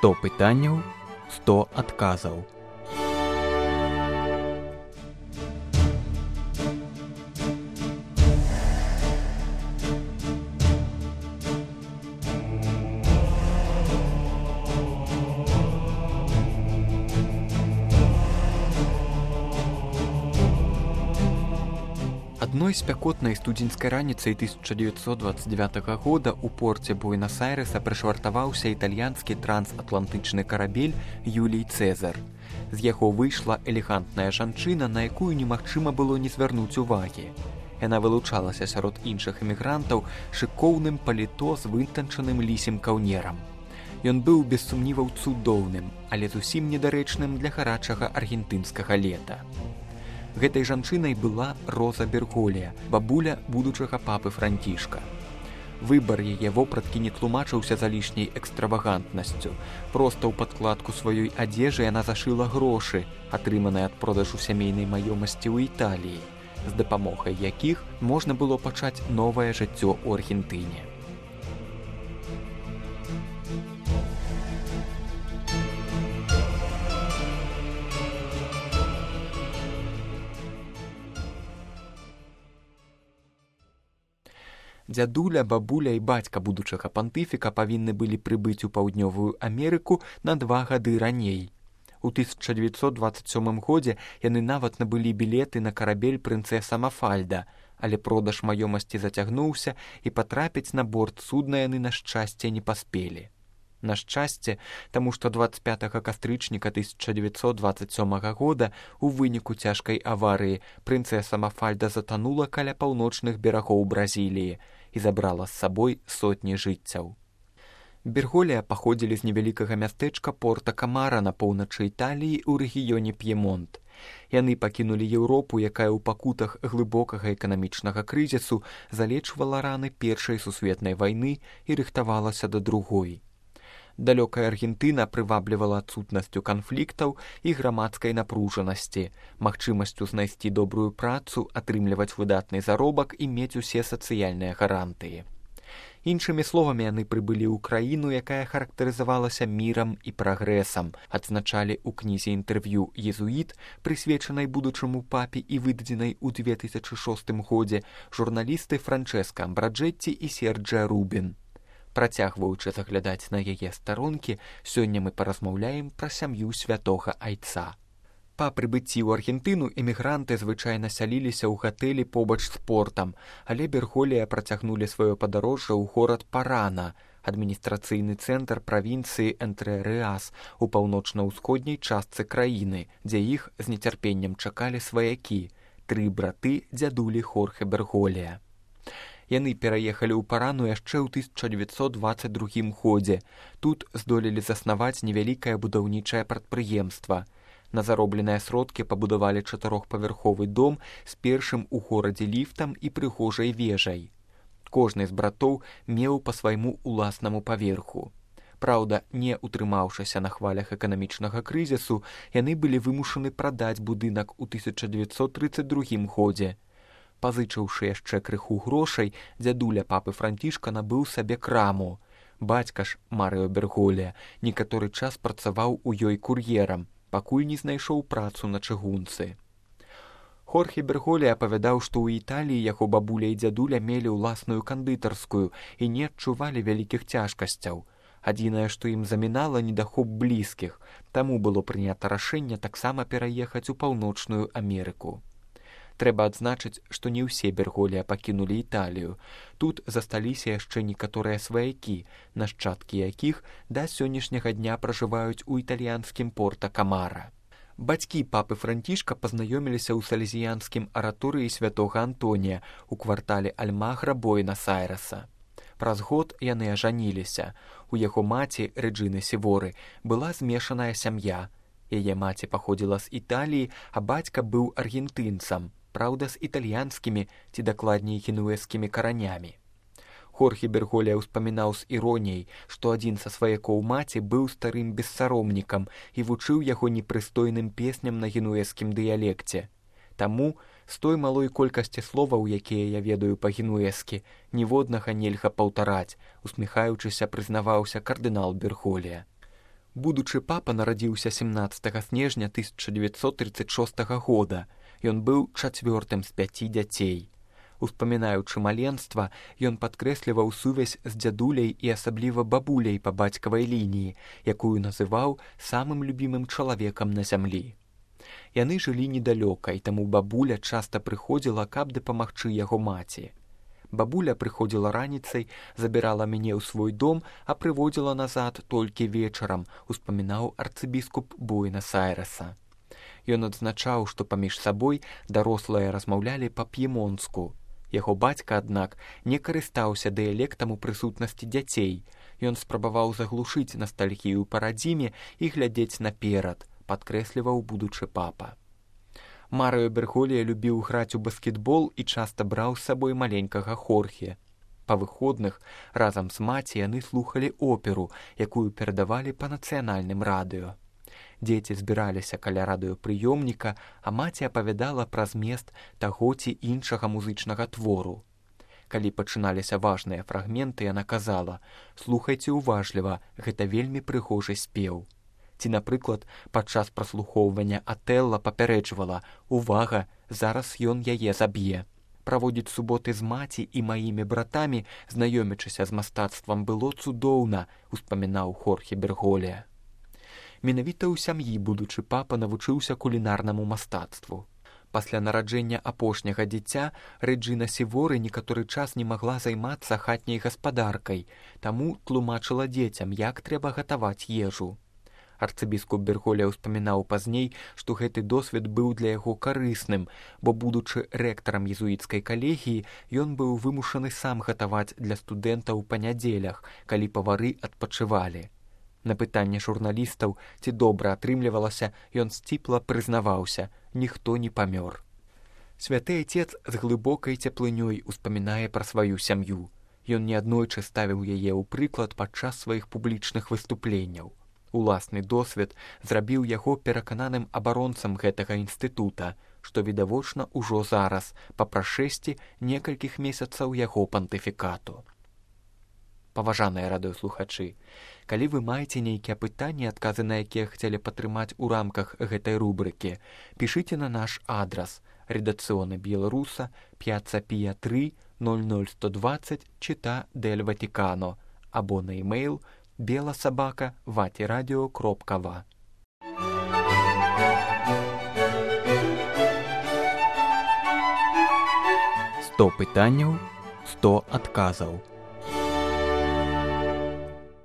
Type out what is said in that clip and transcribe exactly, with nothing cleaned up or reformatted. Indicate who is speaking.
Speaker 1: сто пытанняў, сто адказаў. Адной спякотнай студзеньскай раніцай тысяча дзевяцьсот дваццаць дзевятага года ў порце Буэнас-Айрэса прышвартаваўся італьянскі трансатлантычны карабель Юлій Цэзар. З яго выйшла элегантная жанчына, на якую немагчыма было не звярнуць увагі. Яна вылучалася сярод іншых эмігрантаў шыкоўным паліто з вытанчаным лісім каўнерам. Ён быў без сумніваў цудоўным, але зусім недарэчным для гарачага аргентынскага лета. Гэтай жанчынай была Роза Берголія, бабуля будучага папы Францішка. Выбар яе вопраткі не тлумачыўся залішняй экстравагантнасцю. Проста ў падкладку сваёй адзежы яна зашыла грошы, атрыманыя ад продажу сямейнай маёмасці ў Італіі, з дапамогай якіх можна было пачаць новае жыццё ў Аргентыне. Дзядуля, бабуля і бацька будучага пантыфіка павінны былі прыбыць у Паўднёвую Амерыку на два гады раней. У тысяча дзевяцьсот дваццаць сёмым годзе яны нават набылі білеты на карабель прынцэса Мафальда, але продаж маёмасці зацягнуўся і патрапіць на борт судна яны, на шчасце, не паспелі. На шчасце, таму што дваццаць пятага кастрычніка тысяча дзевяцьсот дваццаць сёмага года у выніку цяжкай аварыі прынцэса Мафальда затанула каля паўночных берагоў Бразіліі і забрала з сабой сотні жыццяў. Берголія паходзілі з невялікага мястэчка Порта-Камара на поўначы Італіі ў рэгіёне П'емонт. Яны пакінулі Еўропу, якая ў пакутах глыбокага эканамічнага крызісу залечвала раны Першай сусветнай вайны і рыхтавалася да другой. Далёкая Аргентына прываблівала адсутнасцю канфліктаў і грамадскай напружанасці, магчымасцю знайсці добрую працу, атрымліваць выдатны заробак і мець усе сацыяльныя гарантыі. Іншымі словамі, яны прыбылі ў краіну, якая характарызавалася мірам і прагрэсам, адзначалі ў кнізе інтэрв'ю «Езуіт», прысвечанай будучаму папе і выдадзенай у две тысячы шостым годзе, журналісты Франчэска Амбраджэтці і Серджа Рубін. Працягваючы заглядаць на яе старонкі, сёння мы паразмаўляем пра сям'ю святога Айца. Па прыбыцці ў Аргентыну эмігранты звычайна сяліліся ў гатэлі побач з портам, але Берголія працягнулі сваё падарожжа ў горад Парана, адміністрацыйны цэнтр правінцыі Энтрэ-Рэас у паўночна-ўсходняй частцы краіны, дзе іх з нецярпеннем чакалі сваякі, тры браты дзядулі Хорхе Берголія. Яны пераехалі ў Парану яшчэ ў тысяча дзевяцьсот дваццаць другім годзе. Тут здолелі заснаваць невялікае будаўнічае прадпрыемства. На заробленыя сродкі пабудавалі чатырохпавярховы дом з першым у горадзе ліфтам і прыгожай вежай. Кожны з братоў меў па свайму уласнаму паверху. Праўда, не утрымаўшыся на хвалях эканамічнага крызісу, яны былі вымушаны прадаць будынак у тысяча дзевяцьсот трыццаць другім годзе. Пазычыўшы яшчэ крыху грошай, дзядуля папы Францішка набыў сабе краму. Бацька ж, Марыо Берголія, некаторы час працаваў у ёй кур'ерам, пакуль не знайшоў працу на чыгунцы. Хорхе Берголія апавядаў, што ў Італіі яго бабуля і дзядуля мелі ўласную кандытарскую і не адчувалі вялікіх цяжкасцяў. Адзінае, што ім замінала недахоп блізкіх, таму было прынята рашэнне таксама пераехаць у Паўночную Амерыку. Трэба адзначыць, што не ўсе Берголія пакінулі Італію. Тут засталіся яшчэ некаторыя сваякі, нашчадкі якіх да сённяшняга дня пражываюць у італьянскім Порта-Камара. Бацькі папы Францішка пазнаёміліся ў салезіянскім араторыі святога Антонія ў квартале Альмагра Буэнас-Айрэса. Праз год яны ажаніліся. У яго маці, Рэджыны Сіворы, была змешаная сям'я. Яе маці паходзіла з Італіі, а бацька быў аргентынцам, праўда, з італьянскімі ці дакладней генуэзскімі каранямі. Хорхе Берголія ўспамінаў з іроніяй, што адзін са сваякоў маці быў старым бессаромнікам і вучыў яго непрыстойным песням на генуэзскім дыялекце. Таму з той малой колькасці словаў, якія я ведаю па-генуэзскі, ніводнага нельга паўтараць, усміхаючыся, прызнаваўся кардынал Берголія. Будучы папа нарадзіўся семнаццатага снежня тысяча дзевяцьсот трыццаць шостага года. Ён быў чацвёртым з пяці дзяцей. Успамінаючы маленства, ён падкрэсліваў сувязь з дзядуляй і асабліва бабуляй па бацькавай лініі, якую называў самым любімым чалавекам на зямлі. Яны жылі недалёка, і таму бабуля часта прыходзіла, каб дапамагчы яго маці. Бабуля прыходзіла раніцай, забірала мяне ў свой дом, а прыводзіла назад толькі вечарам, успамінаў арцыбіскуп Буэнас-Айрэса. Ён адзначаў, што паміж сабой дарослыя размаўлялі па-п'емонску. Яго бацька, аднак, не карыстаўся дыялектам у прысутнасці дзяцей. Ён спрабаваў заглушыць настальгію па радзіме і глядзець наперад, падкрэсліваў будучы папа. Марыо Берголья любіў граць у баскетбол і часта браў з сабой маленькага Хорхе. Па выходных разам з маці яны слухалі оперу, якую перадавалі па нацыянальным радыё. Дзеці збіраліся каля радыёпрыёмніка, а маці апавядала пра змест таго ці іншага музычнага твору. Калі пачыналіся важныя фрагменты, яна казала: «Слухайце уважліва, гэта вельмі прыгожы спеў». Ці, напрыклад, падчас праслухоўвання Атэлла папярэджвала: «Увага, зараз ён яе заб'е». Праводзіць суботы з маці і маімі братамі, знаёмячыся з мастацтвам, было цудоўна, успамінаў Хорхе Берголья. Менавіта ў сям'і будучы папа навучыўся кулінарнаму мастацтву. Пасля нараджэння апошняга дзіця Рэджына Сіворы некаторы час не магла займацца хатняй гаспадаркай, таму тлумачыла дзецям, як трэба гатаваць ежу. Арцыбіскуп Берголья ўспамінаў пазней, што гэты досвед быў для яго карысным, бо, будучы рэктарам езуіцкай калегіі, ён быў вымушаны сам гатаваць для студэнтаў па нядзелях, калі павары адпачывалі. На пытанне журналістаў, ці добра атрымлівалася, ён сціпла прызнаваўся: «Ніхто не памёр». Святы Айцец з глыбокай цеплынёй успамінае пра сваю сям'ю. Ён неаднойчы ставіў яе ў прыклад падчас сваіх публічных выступленняў. Уласны досвед зрабіў яго перакананым абаронцам гэтага інстытута, што відавочна ўжо зараз, па прашэсці некалькіх месяцаў яго пантыфікату. Паважаныя радыёслухачы, калі вы маеце нейкія пытанні, адказы на якія хацелі падтрымаць у рамках гэтай рубрыкі, пішыце на наш адрас: редакцыоны Беларуса, п'яцца Пія тры, ноль ноль сто двадцать, Чита дель Ватикано, або на e-mail беласабака ватирадио кропка ва. сто пытанняў, сто адказаў.